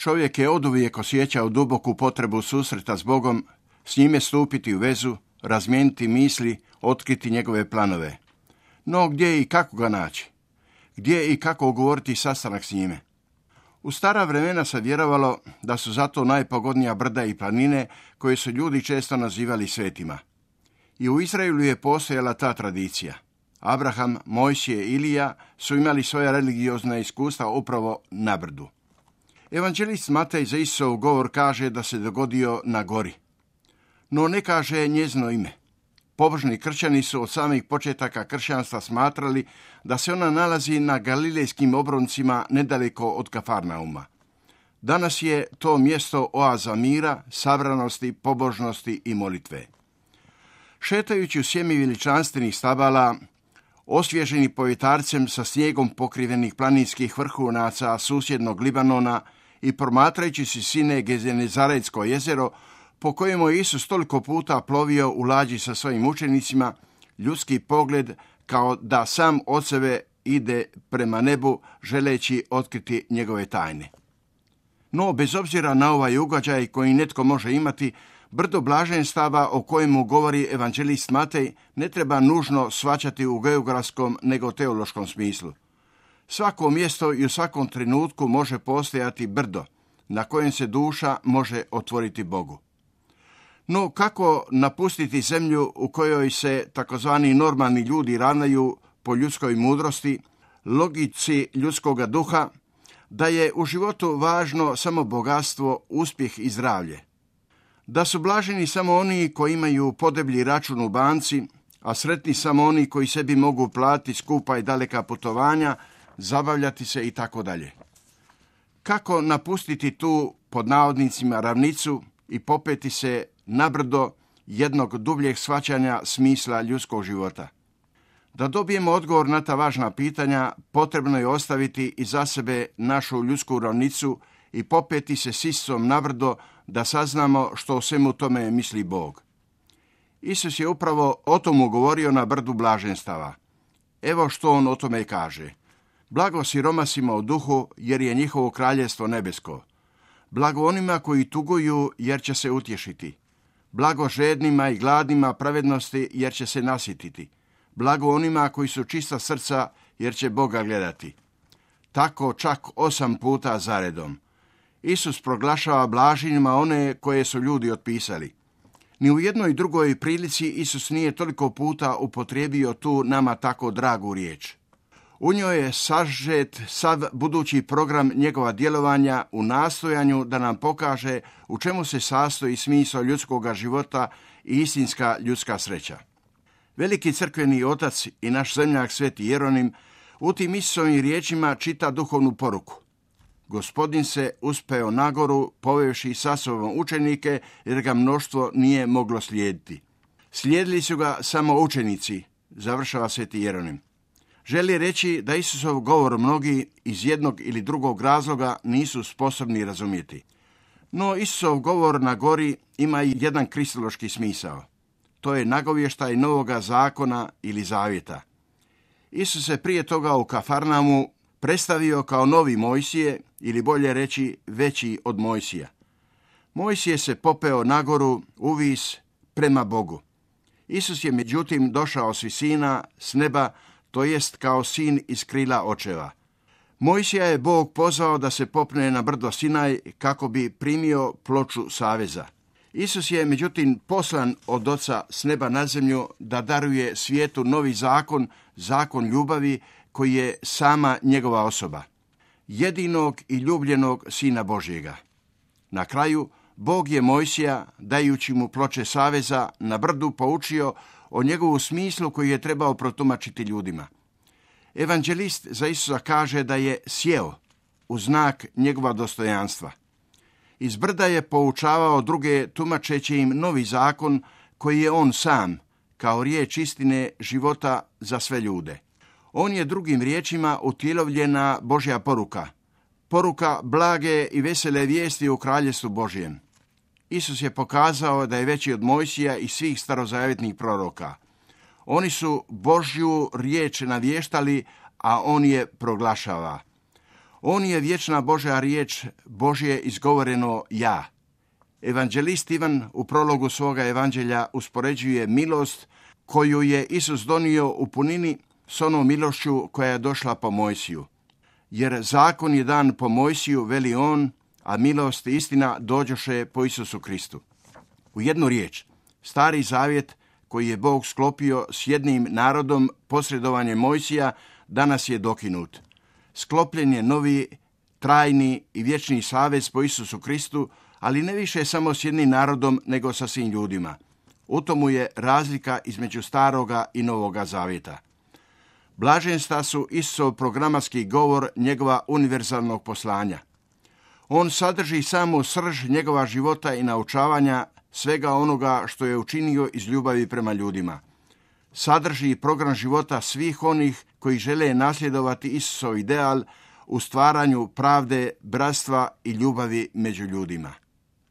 Čovjek je oduvijek osjećao duboku potrebu susreta s Bogom, s njime stupiti u vezu, razmijeniti misli, otkriti njegove planove. No gdje i kako ga naći? Gdje i kako ugovoriti sastanak s njime? U stara vremena se vjerovalo da su zato najpogodnija brda i planine koje su ljudi često nazivali svetima. I u Izraelu je postojala ta tradicija. Abraham, Mojsije i Ilija su imali svoja religiozna iskustva upravo na brdu. Evanđelist Matej za Isusov govor kaže da se dogodio na gori. No ne kaže njezino ime. Pobožni kršćani su od samih početaka kršćanstva smatrali da se ona nalazi na galilejskim obroncima nedaleko od Kafarnauma. Danas je to mjesto oaza mira, sabranosti, pobožnosti i molitve. Šetajući u sjemi veličanstvenih stabala, osvježeni povjetarcem sa snijegom pokrivenih planinskih vrhunaca susjednog Libanona i promatrajući sine Genezaretsko jezero, po kojemu je Isus toliko puta plovio u lađi sa svojim učenicima, ljudski pogled kao da sam od sebe ide prema nebu želeći otkriti njegove tajne. No, bez obzira na ovaj ugađaj koji netko može imati, brdo blaženstava o kojemu govori evanđelist Matej ne treba nužno shvaćati u geografskom nego teološkom smislu. Svako mjesto i u svakom trenutku može postojati brdo na kojem se duša može otvoriti Bogu. No kako napustiti zemlju u kojoj se takozvani normalni ljudi ravnaju po ljudskoj mudrosti, logici ljudskoga duha, da je u životu važno samo bogatstvo, uspjeh i zdravlje? Da su blaženi samo oni koji imaju podeblji račun u banci, a sretni samo oni koji sebi mogu platiti skupa i daleka putovanja, zabavljati se i tako dalje. Kako napustiti tu, pod navodnicima, ravnicu i popeti se na brdo jednog dubljeg shvaćanja smisla ljudskog života? Da dobijemo odgovor na ta važna pitanja, potrebno je ostaviti iza sebe našu ljudsku ravnicu i popeti se s Isusom na brdo da saznamo što o svemu tome misli Bog. Isus je upravo o tomu govorio na brdu blaženstava. Evo što on o tome kaže. Blago siromasima u duhu, jer je njihovo kraljestvo nebesko. Blago onima koji tuguju, jer će se utješiti. Blago žednima i gladnima pravednosti, jer će se nasititi. Blago onima koji su čista srca, jer će Boga gledati. Tako čak 8 puta zaredom. Isus proglašava blaženima one koje su ljudi otpisali. Ni u jednoj drugoj prilici Isus nije toliko puta upotrijebio tu nama tako dragu riječ. U njoj je sažet sav budući program njegova djelovanja u nastojanju da nam pokaže u čemu se sastoji smisao ljudskoga života i istinska ljudska sreća. Veliki crkveni otac i naš zemljak Sveti Jeronim u tim Isusovim riječima čita duhovnu poruku. Gospodin se uspeo na goru, povevši sa sobom učenike, jer ga mnoštvo nije moglo slijediti. Slijedili su ga samo učenici, završava Sveti Jeronim. Želi reći da Isusov govor mnogi iz jednog ili drugog razloga nisu sposobni razumjeti. No Isusov govor na gori ima i jedan kristološki smisao. To je nagovještaj novoga zakona ili zavjeta. Isus se prije toga u Kafarnaumu predstavio kao novi Mojsije, ili bolje reći veći od Mojsija. Mojsije se popeo na goru uvis prema Bogu. Isus je međutim došao s visina, s neba, to jest kao sin iz krila očeva. Mojsija je Bog pozvao da se popne na brdo Sinaj kako bi primio ploču saveza. Isus je međutim poslan od Oca s neba na zemlju da daruje svijetu novi zakon, zakon ljubavi koji je sama njegova osoba. Jedinog i ljubljenog Sina Božjega. Na kraju, Bog je Mojsija, dajući mu ploče saveza, na brdu poučio o njegovu smislu koji je trebao protumačiti ljudima. Evanđelist za Isusa kaže da je sjeo u znak njegova dostojanstva. Iz brda je poučavao druge tumačeći im novi zakon koji je on sam, kao riječ istine života za sve ljude. On je drugim riječima utjelovljena Božja poruka. Poruka blage i vesele vijesti u kraljestvu Božjem. Isus je pokazao da je veći od Mojsija i svih starozavjetnih proroka. Oni su Božju riječ navještali, a on je proglašava. On je vječna Božja riječ, Božje izgovoreno ja. Evanđelist Ivan u prologu svoga evanđelja uspoređuje milost koju je Isus donio u punini s onom milošću koja je došla po Mojsiju. Jer zakon je dan po Mojsiju, veli on, a milost i istina dođoše po Isusu Kristu. U jednu riječ, Stari zavjet koji je Bog sklopio s jednim narodom posredovanjem Mojsija danas je dokinut. Sklopljen je novi, trajni i vječni savez po Isusu Kristu, ali ne više samo s jednim narodom, nego sa svim ljudima. U tomu je razlika između staroga i novoga zavjeta. Blaženstva su Isusov programatski govor njegova univerzalnog poslanja. On sadrži samu srž njegova života i naučavanja svega onoga što je učinio iz ljubavi prema ljudima. Sadrži program života svih onih koji žele nasljedovati Isusov ideal u stvaranju pravde, bratstva i ljubavi među ljudima.